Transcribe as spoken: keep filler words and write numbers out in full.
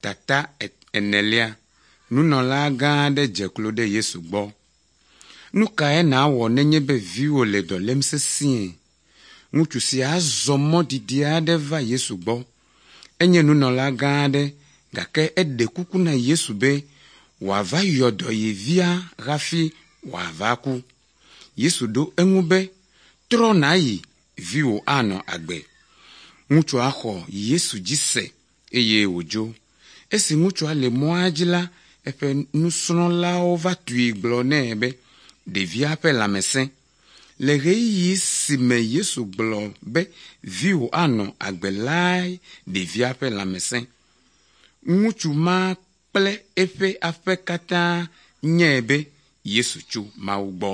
Tata enelia, nunɔlagã aɖe dze klo ɖe Yesu gbɔ. Nu kae nàwɔ nenye be viwò le dɔ lém sesĩe? Ŋutsu sia zɔ mɔ didi aɖe va Yesu gbɔ. Enye nunɔlagã aɖe gake eɖe kuku na Yesu be wòava yɔ dɔ ye via hafi wòava ku. Yesu ɖo eŋu be, trɔ nàyi, viwò anɔ agbe. Ŋutsua xɔ Yesu dzi se eye wòdzo. Esi ŋutsua le mɔa dzi la, eƒe nusrɔ̃lawo va tui gblɔ nɛ be ɖevia ƒe lãme sẽ. Le ɣeyiɣi si me Yesu gblɔ be viwò anɔ agbe lae ɖevia ƒe lãme sẽ. Ŋutsu ma kple eƒe aƒe katã nyae be Yesu tso Mawu gbɔ.